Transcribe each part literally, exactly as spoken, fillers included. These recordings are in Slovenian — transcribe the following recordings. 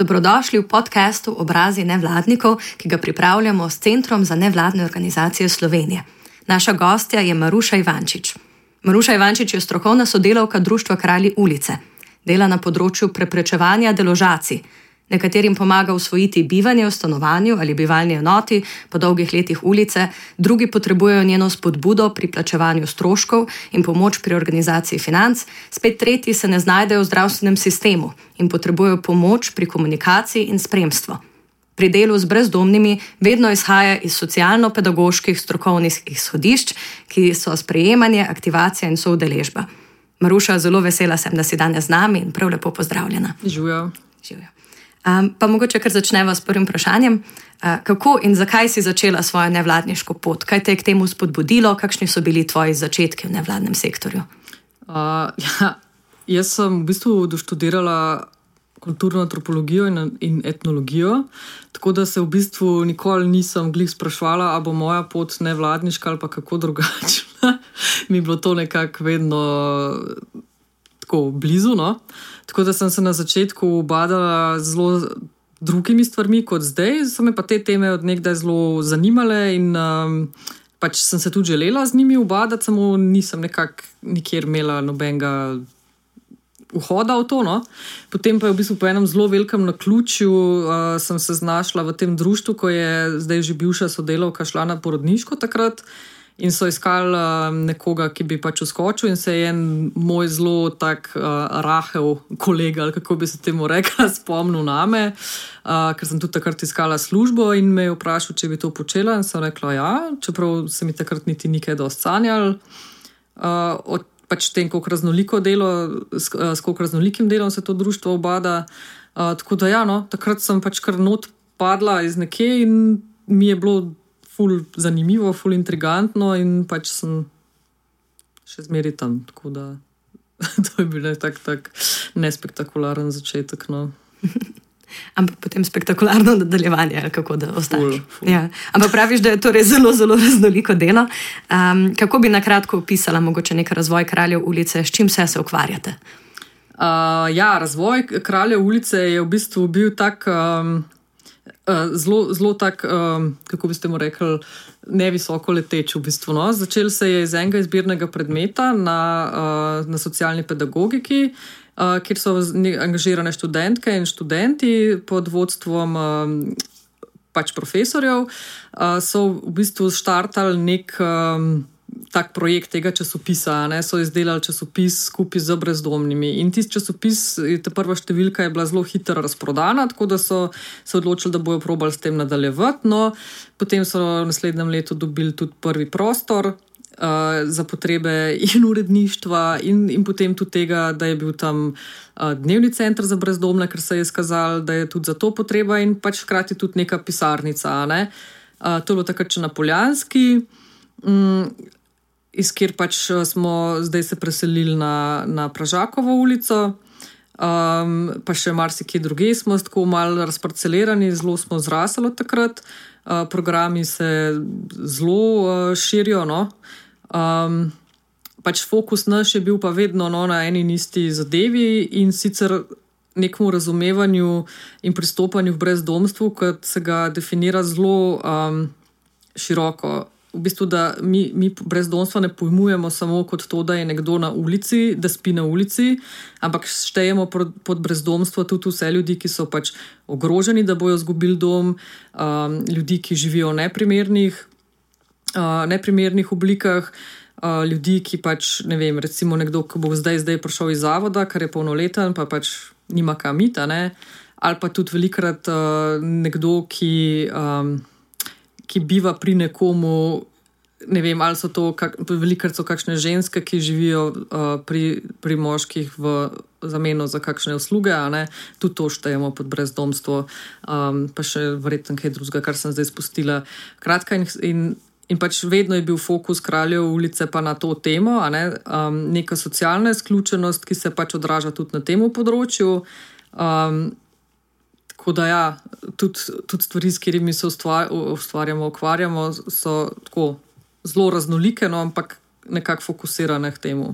Dobrodošli v podcastu Obrazi nevladnikov, ki ga pripravljamo s Centrom za nevladne organizacije Slovenije. Naša gostja je Maruša Ivančič. Maruša Ivančič je strokovna sodelavka Društva Kralji ulice. Dela na področju preprečevanja deložacij. Nekaterim pomaga usvojiti bivanje v stanovanju ali bivalni enoti po dolgih letih ulice, drugi potrebujejo njeno spodbudo pri plačevanju stroškov in pomoč pri organizaciji financ, spet tretji se ne znajdejo v zdravstvenem sistemu in potrebujejo pomoč pri komunikaciji in spremstvu. Pri delu z brezdomnimi vedno izhaja iz socialno-pedagoških strokovnih izhodišč, ki so sprejemanje, aktivacija in soudeležba. Maruša, zelo vesela sem, da si danes z nami in prav lepo pozdravljena. Živijo. Živijo. Um, pa mogoče kar začneva s prvim vprašanjem. Uh, kako in zakaj si začela svojo nevladniško pot? Kaj te je k temu spodbudilo? Kakšni so bili tvoji začetki v nevladnem sektorju? Uh, ja, jaz sem v bistvu doštudirala kulturno antropologijo in, in etnologijo, tako da se v bistvu nikoli nisem glih sprašvala, a bo moja pot nevladniška ali pa kako drugačna. Mi je bilo to nekako vedno tako blizu, no? Tako da sem se na začetku ubadala zelo drugimi stvarmi kot zdaj, so me pa te teme od nekdaj zelo zanimale in um, pač sem se tudi želela z njimi ubadati, samo nisem nekako nikjer imela nobenega vhoda v to, no. Potem pa je v bistvu po enem zelo velikem naključju uh, sem se znašla v tem društvu, ko je zdaj že bivša sodelavka šla na porodniško takrat in so iskali uh, nekoga, ki bi pač uskočil in se je en moj zelo tak uh, rahel kolega, ali kako bi se temu rekla, spomnil name, uh, ker sem tudi takrat iskala službo in me je vprašal, če bi to počela in sem rekla ja, čeprav se mi takrat niti nikaj dosti sanjal. Uh, od pač tem, koliko raznoliko delo, s, s koliko raznolikim delom se to društvo obada. Uh, tako da ja, no, takrat sem pač kar not padla iz nekje in mi je bilo ful zanimivo, ful intrigantno in pač sem še zmeri tam, tako da to je bil tak, tak nespektakularen začetek, no. Ampak potem spektakularno nadaljevanje, ali kako da ostaneš. Ja. Ampak praviš, da je torej zelo, zelo raznoliko delo. Um, kako bi nakratko opisala mogoče nek razvoj Kraljev ulice, s čim vse se ukvarjate? Uh, ja, razvoj Kraljev ulice je v bistvu bil tak um, uh, zelo, zelo tak, um, kako bi ste mu rekli, nevisoko leteč v bistvu. No? Začel se je iz enega izbirnega predmeta na, uh, na socialni pedagogiki, Uh, kjer so angažirane študentke in študenti pod vodstvom um, pač profesorjev, uh, so v bistvu štartali nek um, tak projekt tega časopisa, ne? So izdelali časopis skupaj z brezdomnimi in tisti časopis, ta prva številka je bila zelo hitro razprodana, tako da so se odločili, da bojo probali s tem nadaljevati, no potem so v naslednjem letu dobili tudi prvi prostor Uh, za potrebe in uredništva in, in potem tudi tega, da je bil tam uh, dnevni center za brezdomne, ker se je skazalo, da je tudi za to potreba in pač hkrati tudi neka pisarnica. Ne? Uh, to je bilo takrat še na Poljanski, um, iz kjer pač smo zdaj se preselili na, na Pražakovo ulico, um, pa še marsikje druge smo tako malo razparcelirani, zelo smo zrasli od takrat. Uh, programi se zelo uh, širijo, no. Um, pač fokus naš je bil pa vedno no, na eni in isti zadevi in sicer nekemu razumevanju in pristopanju v brezdomstvu, kot se ga definira zelo um, široko. V bistvu, da mi, mi brezdomstvo ne pojmujemo samo kot to, da je nekdo na ulici, da spi na ulici, ampak štejemo pod brezdomstvo tudi vse ljudi, ki so pač ogroženi, da bojo izgubili dom, um, ljudi, ki živijo v neprimernih, uh, neprimernih oblikah, uh, ljudi, ki pač, ne vem, recimo nekdo, ki bo zdaj, zdaj prišel iz zavoda, kar je polnoleten, pa pač nima kam iti, ne? Ali pa tudi velikrat uh, nekdo, ki... Um, ki biva pri nekomu, ne vem, ali so to, kak, velikrat so kakšne ženske, ki živijo uh, pri, pri moških v zameno za kakšne usluge, a ne, tudi to štejemo pod brezdomstvo, um, pa še verjetno kaj drugega, kar sem zdaj spustila. Kratka in, in, in pač vedno je bil fokus Kraljev ulice pa na to temo, a ne, um, neka socialna izključenost, ki se pač odraža tudi na tem področju. Um, Tako da ja, tudi, tudi stvari, s katerimi se ustvarjamo, ukvarjamo, so tako zelo raznolike, no, ampak nekako fokusirane k temu.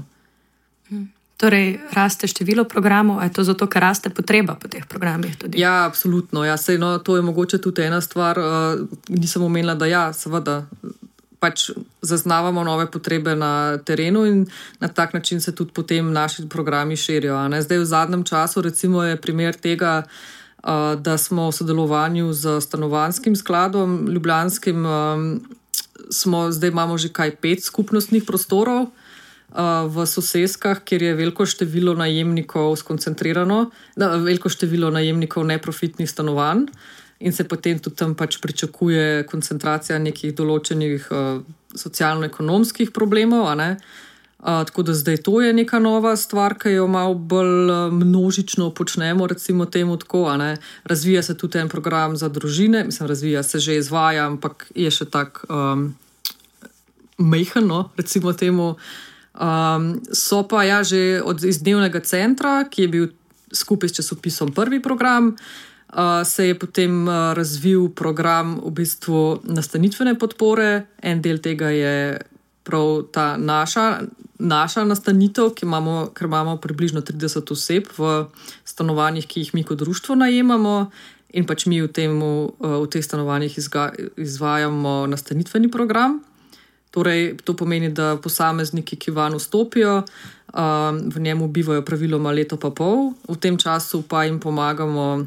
Torej, raste število programov, je to zato, ker raste potreba po teh programih tudi? Ja, absolutno. Ja, sej, no, to je mogoče tudi ena stvar. Uh, nisem omenila, da ja, seveda, pač zaznavamo nove potrebe na terenu in na tak način se tudi potem naši programi širijo. Ne? Zdaj v zadnjem času recimo je primer tega, uh, da smo v sodelovanju z stanovanjskim skladom ljubljanskim, um, smo, zdaj imamo že kaj pet skupnostnih prostorov, v soseskah, kjer je veliko število najemnikov skoncentrirano, da, veliko število najemnikov neprofitnih stanovanj in se potem tudi tam pač pričakuje koncentracija nekih določenih uh, socialno-ekonomskih problemov. A ne? Uh, tako da zdaj to je neka nova stvar, ki jo malo bolj uh, množično počnemo, recimo temu tako. A ne? Razvija se tudi en program za družine, mislim, razvija se že izvaja, ampak je še tak um, mejhano, recimo temu. Um, so pa ja že od iz dnevnega centra, ki je bil skupaj s časopisom prvi program, uh, se je potem uh, razvil program v bistvu nastanitvene podpore. En del tega je prav ta naša, naša nastanitev, ki imamo, ker imamo približno trideset oseb v stanovanjih, ki jih mi kot društvo najemamo in pač mi v, temu, uh, v teh stanovanjih izga, izvajamo nastanitveni program. Torej, to pomeni, da posamezniki, ki van vstopijo, v njemu bivajo praviloma leto pa pol. V tem času pa jim pomagamo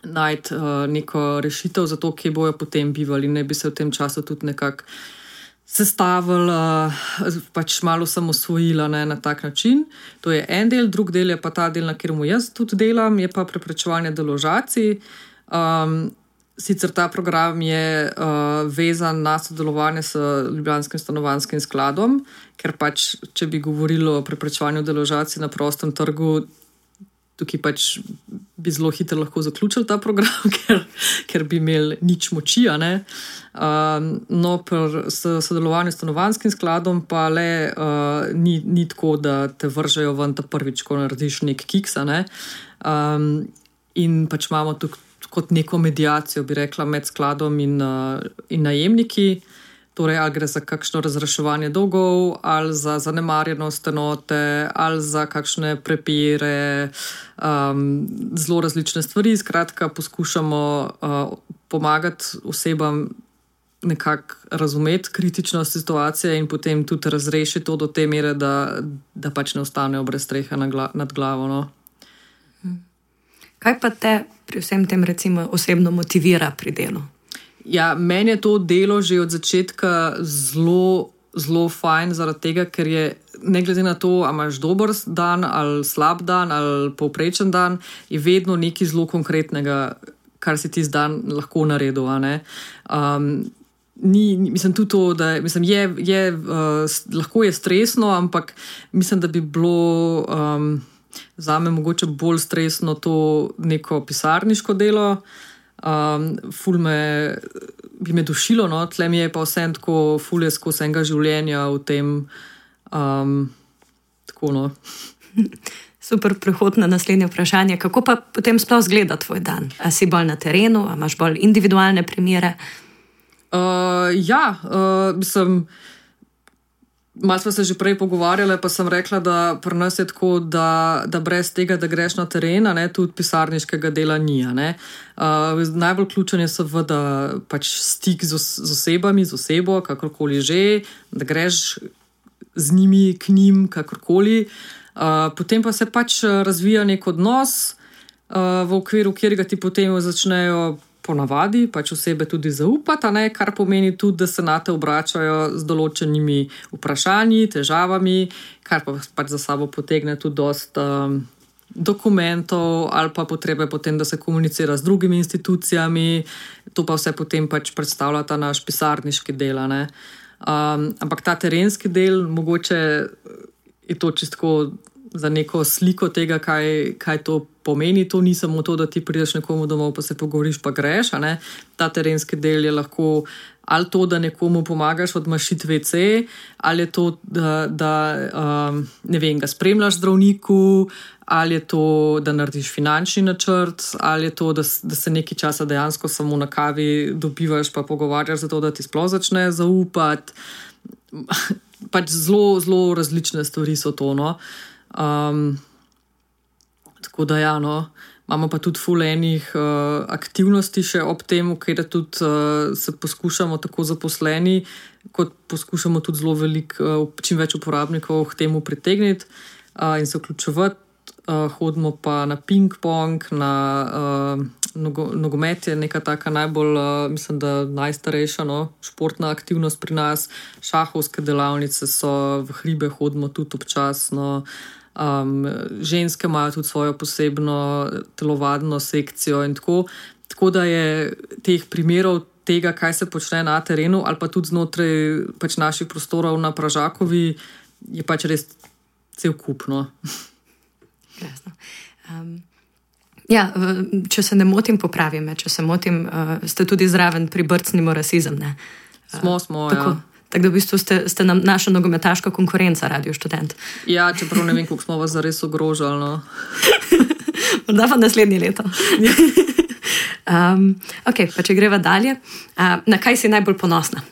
najti neko rešitev za to, kje bojo potem bivali. Ne bi se v tem času tudi nekako sestavili, pač malo samosvojila, ne, na tak način. To je en del, drug del je pa ta del, na katerem jaz tudi delam, je pa preprečevanje deložacij. Um, Sicer ta program je uh, vezan na sodelovanje s Ljubljanskim stanovanjskim skladom, ker pač, če bi govorilo o preprečevanju deložacij na prostem trgu, tukaj pač bi zelo hitro lahko zaključili ta program, ker, ker bi imeli nič moči. Um, no, pri sodelovanju s stanovanjskim skladom pa le uh, ni, ni tako, da te vržejo ven ta prvič, ko narediš nek kiks. Ne? Um, in pač imamo tukaj kot neko medijacijo, bi rekla, med skladom in, uh, in najemniki. Torej, ali gre za kakšno razreševanje dolgov, ali za zanemarjenost enote, ali za kakšne prepire, um, zelo različne stvari. Skratka, poskušamo uh, pomagati osebam nekako razumeti kritičnost situacije in potem tudi razrešiti to do te mere, da, da pač ne ostanejo brez strehe nad glavo. No? Kaj pa te pri vsem tem recimo osebno motivira pri delu? Ja, meni je to delo že od začetka zelo, zelo fajn, zaradi tega, ker je ne glede na to, ali imaš dober dan ali slab dan ali povprečen dan, je vedno nekaj zelo konkretnega, kar si ti z dan lahko naredil. Um, ni, mislim tudi to, da mislim, je, je, uh, lahko je stresno, ampak mislim, da bi bilo Um, zame mogoče bolj stresno to neko pisarniško delo. Um, ful me, bi me dušilo, no? Tle mi je pa vsem tako ful je skozi enega življenja v tem. Um, tako, no. Super prehod na naslednje vprašanje. Kako pa potem sploh izgleda tvoj dan? A si bolj na terenu, a imaš bolj individualne primere? Uh, ja, uh, mislim... Malo smo se že prej pogovarjali, pa sem rekla, da pri nas je tako, da, da brez tega, da greš na teren, ne, tudi pisarniškega dela ni. Uh, najbolj ključen je seveda pač stik z, z osebami, z osebo, kakorkoli že, da greš z njimi k njim, kakorkoli. Uh, potem pa se pač razvija nek odnos, uh, v okviru katerega ti potem začnejo ponavadi pač osebe tudi zaupati, ne, kar pomeni tudi, da se na te obračajo z določenimi vprašanji, težavami, kar pa pač za sabo potegne tudi dosti um, dokumentov ali pa potrebe potem, da se komunicira z drugimi institucijami. To pa vse potem pač predstavlja ta naš pisarniški del. Um, ampak ta terenski del, mogoče je to čistko za neko sliko tega, kaj, kaj to pomeni. To ni samo to, da ti prideš nekomu domov, pa se pogovoriš, pa greš. A ne? Ta terenski del je lahko ali to, da nekomu pomagaš odmašiti ve ce, ali je to, da, da um, ne vem, ga spremljaš zdravniku, ali je to, da narediš finančni načrt, ali je to, da, da se nekaj časa dejansko samo na kavi dobivaš, pa pogovarjaš za to, da ti sploh začne zaupati. Pač zelo, zelo različne stvari so to, no. Um, tako da ja, no. Imamo pa tudi ful enih uh, aktivnosti še ob tem, kjer tudi uh, se poskušamo tako zaposleni, kot poskušamo tudi zelo veliko, uh, čim več uporabnikov k temu pritegniti uh, in se vključevati. Uh, hodimo pa na ping-pong, na uh, nogo, nogomet je neka taka najbolj, uh, mislim, da najstarejša no, športna aktivnost pri nas. Šahovske delavnice so, v hribe hodimo tudi občasno. Um, ženske imajo tudi svojo posebno telovadno sekcijo in tako. Tako da je teh primerov tega, kaj se počne na terenu ali pa tudi znotraj pač naših prostorov na Pražakovi, je pač res cel kup, no. Jasno. Um, ja, če se ne motim, popravi me, če se motim, uh, ste tudi zraven pri Brcnimo rasizem, ne? Uh, smo, smo, tako. Ja. Tako da v bistvu ste, ste nam naša nogometaška konkurenca, Radio Študent. Ja, čeprav ne vem, koliko smo vas zares ogrožali. No. Morda pa naslednje leto. um, ok, pa če greva dalje. Uh, na kaj si najbolj ponosna?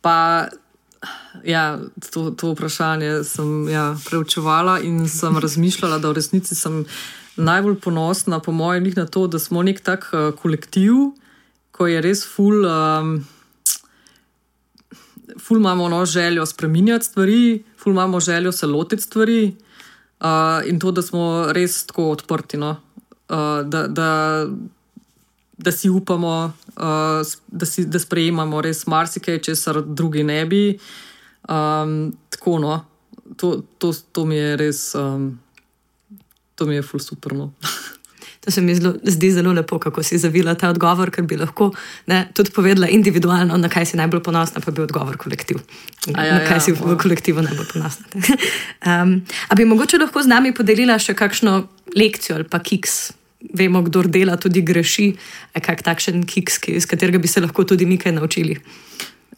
Pa, ja, to, to vprašanje sem ja, preučevala in sem razmišljala, da v resnici sem najbolj ponosna, po mojem, na to, da smo nek tak uh, kolektiv, ko je res ful... Um, Ful imamo no, željo spreminjati stvari, ful imamo željo se lotiti stvari uh, in to, da smo res tako odprti, no? uh, da, da, da si upamo, uh, da, si, da sprejemamo res marsikaj, česar drugi ne bi. Um, tako, no, to, to, to mi je res, um, to mi je ful super, no. To se mi zelo, zdi zelo lepo, kako si zavila ta odgovor, ker bi lahko ne, tudi povedala individualno, na kaj si najbolj ponosna, pa bi odgovor kolektiv. Ja, na kaj ja, si v kolektivu najbolj ponosna. um, a bi mogoče lahko z nami podelila še kakšno lekcijo ali pa kiks? Vemo, kdor dela, tudi greši. Kak takšen kiks, iz katerega bi se lahko tudi mi kaj naučili?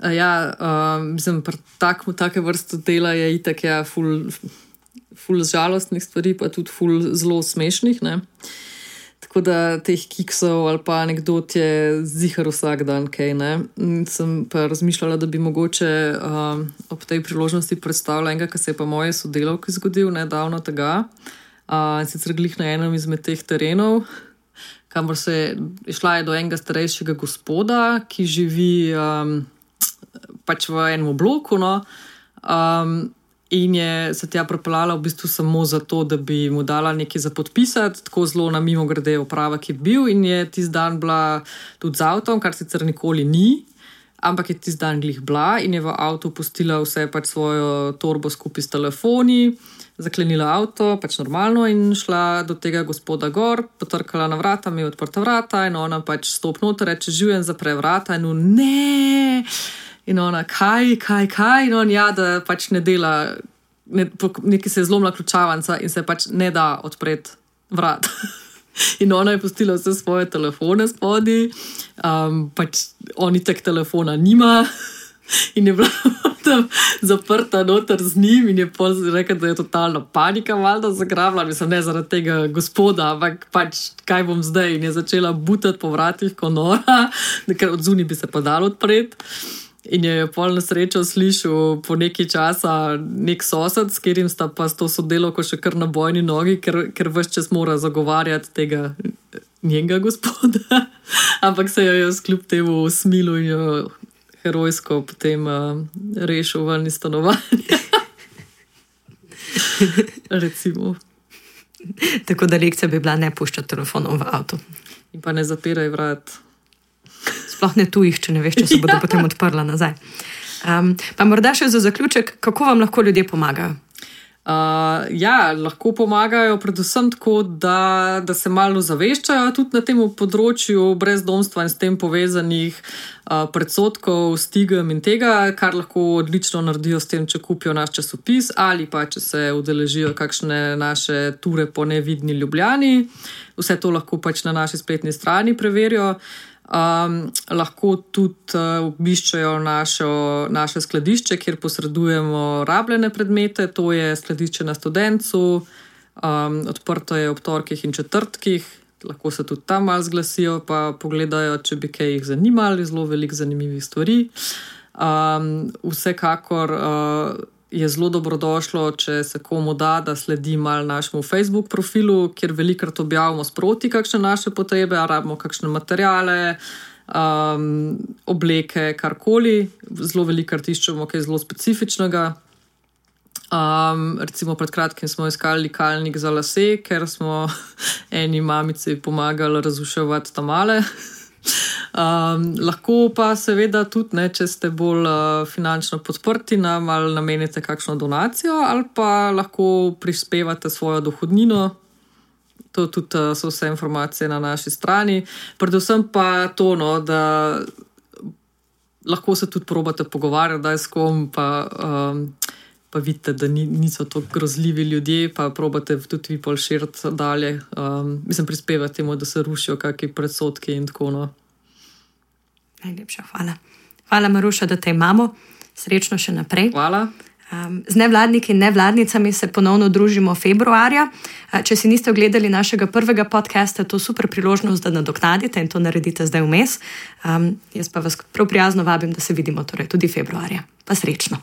Ja, um, mislim, pri tak, take vrste dela je itak ja, ful, ful žalostnih stvari, pa tudi ful zelo smešnih, ne? Tako da teh kiksov ali pa anekdot je zihar vsak dan, kaj ne. Sem pa razmišljala, da bi mogoče um, ob tej priložnosti predstavila enega, ki se je pa moje sodelavki zgodil nedavno tega. Uh, sicer glih na enem izmed teh terenov, kamor se je šla je do enega starejšega gospoda, ki živi um, pač v enem bloku, no. Um, In je se tja pripeljala v bistvu samo zato, da bi mu dala nekaj za podpisati, tako zelo na mimogrede opravek je bil in je tisti dan bila tudi z avtom, kar sicer nikoli ni, ampak je tisti dan glih bila in je v avtu pustila vse pač svojo torbo skupaj s telefoni, zaklenila avto, pač normalno in šla do tega gospoda gor, potrkala na vrata, mi je odprta vrata in ona pač stop noter, reče življen, zapre vrata in on ne... In ona, kaj, kaj, kaj, in on, ja, da pač ne dela, ne, nekaj se je zlomila ključavanca in se pač ne da odpreti vrat. In ona je pustila vse svoje telefone spodi, um, pač on itak telefona nima in je bila tam zaprta noter z njim in je pol rekel, da je totalna panika valjda zagrabila, mislim, ne zaradi tega gospoda, ampak pač kaj bom zdaj, in je začela butati po vratih ko nora, ker od zunaj bi se pa dalo odpreti. In je pol na srečo slišal po nekaj časa nek sosed, s katerim sta pa s to sodelavko še kar na bojni nogi, ker, ker ves čas mora zagovarjati tega njenega gospoda. Ampak se jo je skljub temu usmilil in jo herojsko potem uh, rešil ven iz stanovanja. Recimo. Tako da lekcija bi bila ne puščati telefonom v avtu. In pa ne zapiraj vrat. Sploh ne tujih, če ne veš, če se bodo ja. Potem odprla nazaj. Um, pa morda še za zaključek, kako vam lahko ljudje pomagajo? Uh, ja, lahko pomagajo predvsem tako, da, da se malo zaveščajo tudi na tem področju brezdomstva in s tem povezanih uh, predsodkov, stigem in tega, kar lahko odlično naredijo s tem, če kupijo naš časopis ali pa če se udeležijo kakšne naše ture po nevidni Ljubljani. Vse to lahko pač na naši spletni strani preverijo. Um, lahko tudi uh, obiščajo našo, naše skladišče, kjer posredujemo rabljene predmete, to je skladišče na Studencu, um, odprto je ob torkih in četrtkih, lahko se tudi tam malo zglasijo, pa pogledajo, če bi kaj jih zanimali, zelo veliko zanimivih stvari. Um, vsekakor uh, je zelo dobrodošlo, če se komu da, da sledi mal našemu Facebook profilu, kjer velikrat objavimo sproti kakšne naše potrebe, a rabimo kakšne materijale, um, obleke, karkoli. Zelo velikrat iščemo kaj zelo specifičnega. Um, recimo pred kratkim smo iskali likalnik za lase, ker smo eni mamici pomagali razuševati tamale. Um, lahko pa seveda tudi, ne, če ste bolj uh, finančno podprti, nam ali namenite kakšno donacijo ali pa lahko prispevate svojo dohodnino. To tudi uh, so vse informacije na naši strani. Predvsem pa to, no, da lahko se tudi probate pogovarjati, da je s kom, pa, um, pa vidite, da ni, niso to grozljivi ljudje, pa probate tudi vi pol širiti dalje. Um, mislim, prispevati temu, da se rušijo kakšni predsodki in tako, no. Najlepša hvala. Hvala, Maruša, da te imamo. Srečno še naprej. Hvala. Um, z nevladniki in nevladnicami se ponovno družimo februarja. Uh, če si niste ogledali našega prvega podcasta, to je super priložnost, da nadoknadite in to naredite zdaj vmes. Um, jaz pa vas prav prijazno vabim, da se vidimo torej tudi februarja. Pa srečno.